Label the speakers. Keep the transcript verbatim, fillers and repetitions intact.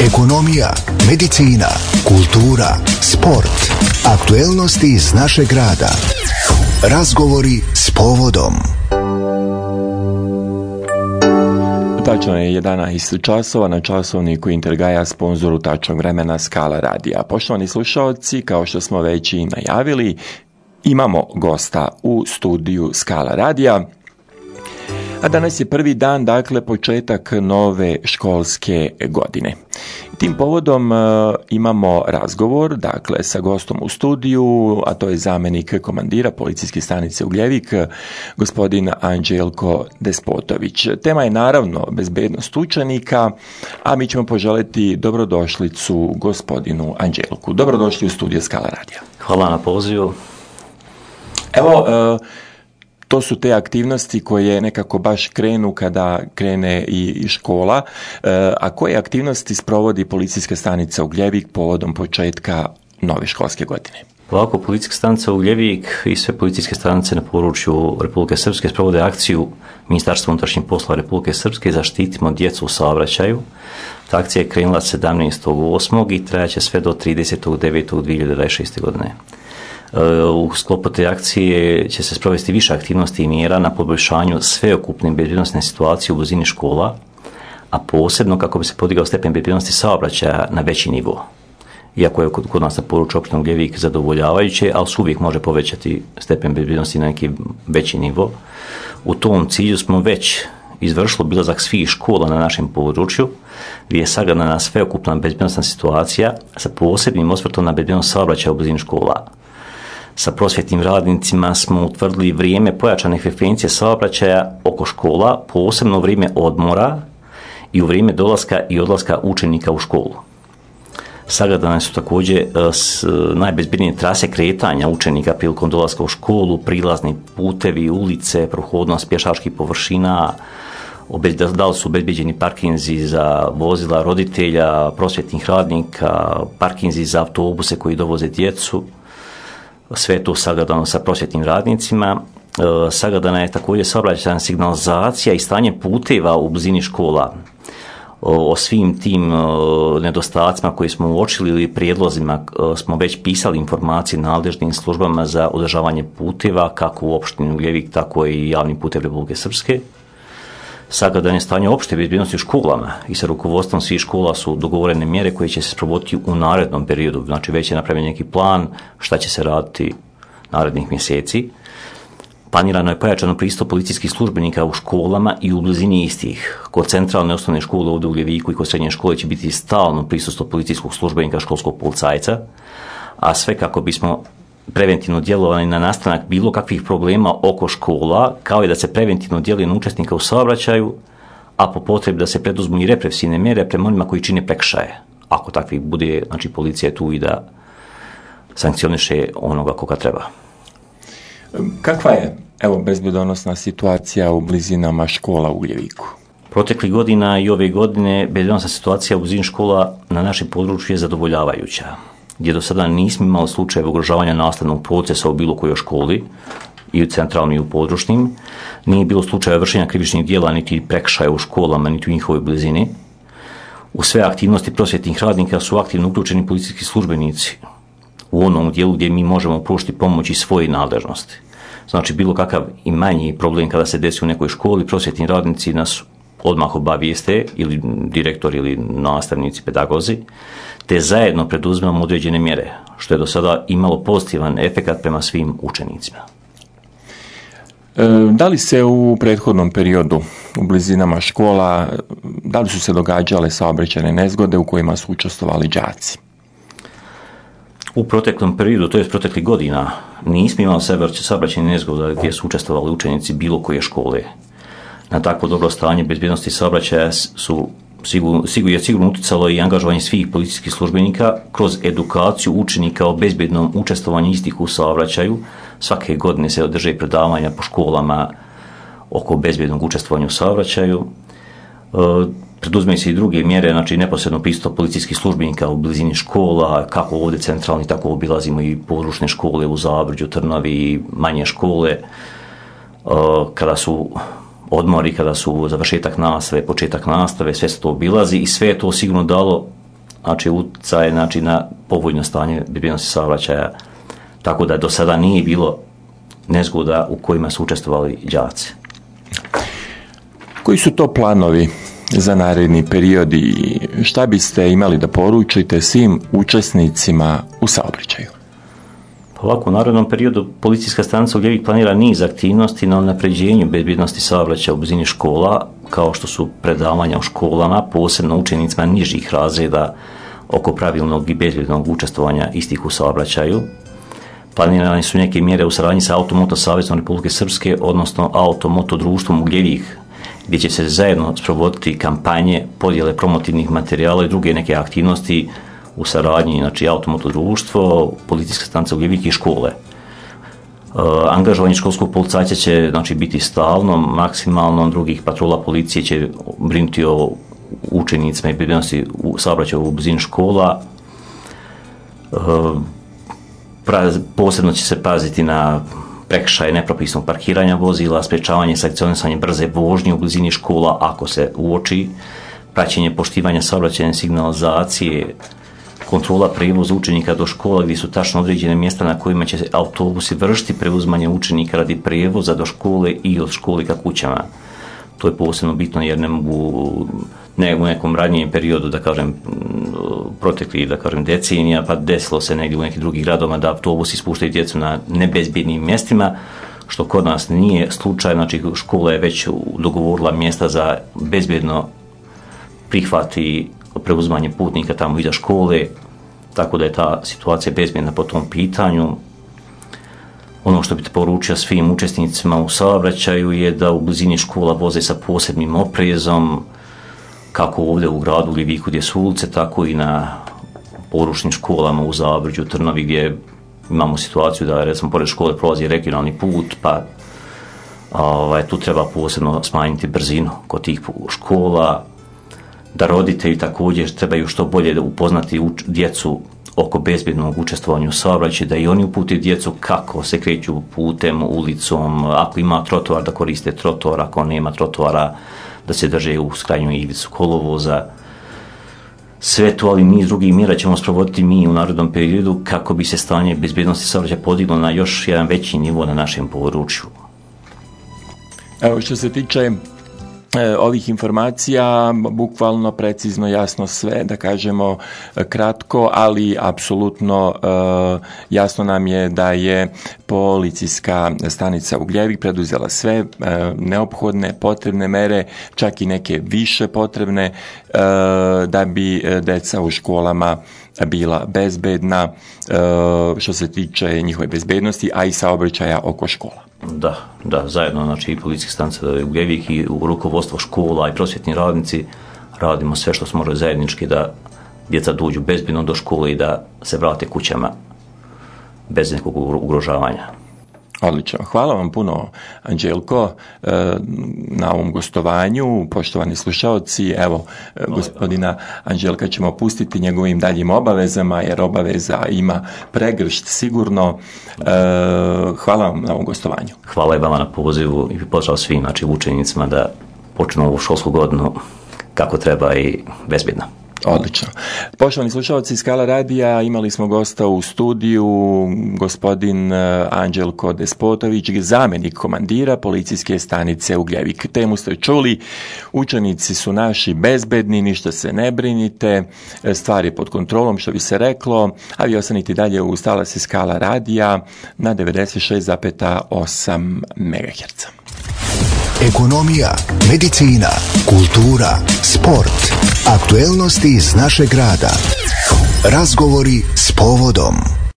Speaker 1: ekonomija, medicina, kultura, sport, aktuelnosti iz našeg grada. Razgovori s povodom.
Speaker 2: Tačno je jedanaest časova na časovniku Intergaja, sponzoru tačnog vremena Skala radija. Poštovani slušalci, kao što smo već i najavili, imamo gosta u studiju Skala radija. A danas je prvi dan, dakle, početak nove školske godine. Tim povodom uh, imamo razgovor, dakle, sa gostom u studiju, a to je zamjenik komandira policijske stanice Ugljevik, gospodin Anđelko Despotović. Tema je naravno bezbednost učenika, a mi ćemo poželjeti dobrodošlicu gospodinu Anđelku. Dobrodošli u studiju Skala radija.
Speaker 3: Hvala na pozivu.
Speaker 2: Evo, uh, to su te aktivnosti koje nekako baš krenu kada krene i škola. A koje aktivnosti sprovodi policijska stanica Ugljevik povodom početka nove školske godine?
Speaker 3: Ovako, policijska stanica Ugljevik i sve policijske stanice na području Republike Srpske sprovode akciju Ministarstva unutrašnjih poslova Republike Srpske Zaštitimo djecu u saobraćaju. Ta akcija je krenula sedamnaestog osmog i trajaće sve do tridesetog devetog dvije hiljade dvadeset šeste. godine. U sklopu te akcije će se sprovesti više aktivnosti i mjera na poboljšanju sveukupne bezbjednosne situacije u blizini škola, a posebno kako bi se podigao stepen bezbjednosti saobraćaja na veći nivo. Iako je kod nas na području opštine Ugljevik zadovoljavajuće, ali se uvijek može povećati stepen bezbjednosti na neki veći nivo. U tom cilju smo već izvršili obilazak svih škola na našem području, gdje je sagledana sveukupna bezbjednosna situacija sa posebnim osvrtom na bezbjednost saobraćaja u blizini škola. Sa prosvjetnim radnicima smo utvrdili vrijeme pojačane frekvencije saobraćaja oko škola, posebno u vrijeme odmora i u vrijeme dolaska i odlaska učenika u školu. Sagledane su također najbezbjednije trase kretanja učenika prilikom dolaska u školu, prilazni putevi, ulice, prohodnost pješačkih površina, da li su obezbeđeni parkinzi za vozila roditelja, prosvjetnih radnika, parkinzi za autobuse koji dovoze djecu. Sve je to sagledano sa prosvjetnim radnicima. E, sagledana je također saobraćajna signalizacija i stanje puteva u blizini škola. O, o svim tim o, nedostacima koji smo uočili ili prijedlozima o, smo već pisali informacije nadležnim službama za održavanje puteva, kako u opštini Ugljevik, tako i javnim putem Republike Srpske. Sagledano je stanje opšte bezbjednosti u školama i sa rukovodstvom svih škola su dogovorene mjere koje će se sprovoditi u narednom periodu. Znači već je napravljen neki plan šta će se raditi narednih mjeseci. Planirano je pojačano pristup policijskih službenika u školama i u blizini istih. Kod centralne osnovne škole ovdje u Ugljeviku i kod srednje škole će biti stalno prisustvo policijskog službenika, školskog policajca, a sve kako bismo preventivno djelovanje na nastanak bilo kakvih problema oko škola, kao i da se preventivno djeluje na učesnika u saobraćaju, a po potrebi da se preduzmu i represivne mjere prema onima koji čine prekršaje. Ako takvih bude, znači policija je tu i da sankcioniše onoga koga treba.
Speaker 2: Kakva je, evo, bezbjednosna situacija u blizinama škola u Ugljeviku?
Speaker 3: Proteklih godina i ove godine bezbjednosna situacija u blizini škola na našem području je zadovoljavajuća, gdje do sada nismo imali slučajeve ugrožavanja nastavnog procesa u bilo kojoj školi, i u centralnim i u područnim. Nije bilo slučaja vršenja krivičnih djela niti prekršaja u školama, niti u njihovoj blizini. U sve aktivnosti prosvjetnih radnika su aktivno uključeni policijski službenici u onom dijelu gdje mi možemo pružiti pomoć i svoje nadležnosti. Znači, bilo kakav i manji problem kada se desi u nekoj školi, prosvjetni radnici nas odmah obavijeste, ili direktor ili nastavnici, pedagozi, te zajedno preduzimamo određene mjere, što je do sada imalo pozitivan efekat prema svim učenicima.
Speaker 2: E, da li se u prethodnom periodu u blizinama škola, da li su se događale saobraćajne nezgode u kojima su učestvovali đaci?
Speaker 3: U proteklom periodu, to je proteklih godina, nismo imali saobraćajne nezgode gdje su učestvovali učenici bilo koje škole. Na takvo dobro stanje bezbjednosti saobraćaja su Sigur, sigur je sigurno utjecalo i angažovanje svih policijskih službenika kroz edukaciju učenika o bezbjednom učestvovanju istih u saobraćaju. Svake godine se održe predavanja po školama oko bezbjednog učestvovanja u saobraćaju. E, preduzmeju se i druge mjere, znači neposredno pristup policijskih službenika u blizini škola, kako ovdje centralni, tako obilazimo i područne škole u Zabrđu, Trnavi i manje škole. E, kada su odmori, kada su završetak nastave, početak nastave, sve se to obilazi i sve je to sigurno dalo znači utjecaje znači, na povoljno stanje bezbjednosti saobraćaja, tako da do sada nije bilo nezgoda u kojima su učestvovali đaci.
Speaker 2: Koji su to planovi za naredni period i šta biste imali da poručite svim učesnicima u saobraćaju?
Speaker 3: Ovako, u narednom periodu policijska stanica Ugljevik planira niz aktivnosti na unapređenju bezbjednosti saobraćaja u blizini škola, kao što su predavanja u školama, posebno učenicima nižih razreda oko pravilnog i bezbjednog učestvovanja istih u saobraćaju. Planirane su neke mjere u saradnji sa Automoto Savezom Republike Srpske, odnosno Automoto društvom Ugljevik, gdje će se zajedno sprovoditi kampanje, podjele promotivnih materijala i druge neke aktivnosti u saradnji, znači Automoto društvo, policijska stanica Ugljevik i škole. E, angažovanje školskog policajca će znači, biti stalno, maksimalno, drugih patrola policije će brinuti o učenicima i bezbjednosti u saobraćaju u blizini škola. E, pra, posebno će se paziti na prekršaje nepropisnog parkiranja vozila, sprečavanje i sankcionisanje brze vožnje u blizini škola ako se uoči, praćenje poštivanja saobraćajne signalizacije, kontrola prevoza učenika do škola gdje su tačno određene mjesta na kojima će autobusi vršiti preuzimanje učenika radi prevoza do škole i od škole ka kućama. To je posebno bitno jer ne mogu ne u nekom radnijem periodu, da kažem, protekli, da kažem, decenija, pa desilo se negdje u nekih drugih gradovima da autobusi ispuštaju djecu na nebezbjednim mjestima, što kod nas nije slučaj, znači škola je već dogovorila mjesta za bezbjedno prihvati preuzimanje putnika tamo iza škole, tako da je ta situacija bezbjedna po tom pitanju. Ono što bih poručio svim učesnicima u saobraćaju je da u blizini škola voze sa posebnim oprezom, kako ovdje u gradu Ugljeviku gdje su ulice, tako i na poručnim školama u Zabrđu, Trnovi, gdje imamo situaciju da recimo pored škole prolazi regionalni put, pa ovaj, tu treba posebno smanjiti brzinu kod tih škola, da roditelji također trebaju što bolje upoznati uč, djecu oko bezbjednog učestvovanja u saobraćaju, da i oni upute djecu kako se kreću putem, ulicom, ako ima trotoar da koriste trotoar, ako nema trotoara da se drže u krajnju ivicu kolovoza. Sve to, ali niz drugih mjera ćemo sprovoditi mi u narednom periodu kako bi se stanje bezbjednosti saobraćaja podiglo na još jedan veći nivo na našem području.
Speaker 2: Evo, što se tiče E, ovih informacija, bukvalno, precizno, jasno sve, da kažemo kratko, ali apsolutno e, jasno nam je da je policijska stanica Ugljevik preduzela sve e, neophodne, potrebne mere, čak i neke više potrebne, e, da bi deca u školama bila bezbedna, e, što se tiče njihove bezbednosti, a i saobraćaja oko škola.
Speaker 3: Da, da, zajedno, znači i policijska stanica Ugljevik i u rukovodstvo škola i prosvjetni radnici radimo sve što smo mogli zajednički da djeca dođu bezbjedno do škole i da se vrate kućama bez nekog ugrožavanja.
Speaker 2: Odlično. Hvala vam puno, Anđelko, na ovom gostovanju. Poštovani slušaoci, evo, gospodina Anđelka ćemo pustiti njegovim daljim obavezama, jer obaveza ima pregršt sigurno. Hvala vam na ovom gostovanju.
Speaker 3: Hvala i vama na pozivu i pozdrav svim, znači, učenicima da počnu ovu školsku godinu kako treba i bezbjedno.
Speaker 2: Odlično. Poštovani slušalci Skala radija, imali smo gosta u studiju, gospodin Anđelko Despotović, zamjenik komandira policijske stanice Ugljevik. Temu ste čuli, učenici su naši bezbedni, ništa se ne brinite, stvar je pod kontrolom, što bi se reklo, a vi ostanite dalje u Talase Skala radija na devedeset šest zarez osam megaherca.
Speaker 1: Ekonomija, medicina, kultura, sport, aktuelnosti iz našeg grada. Razgovori s povodom.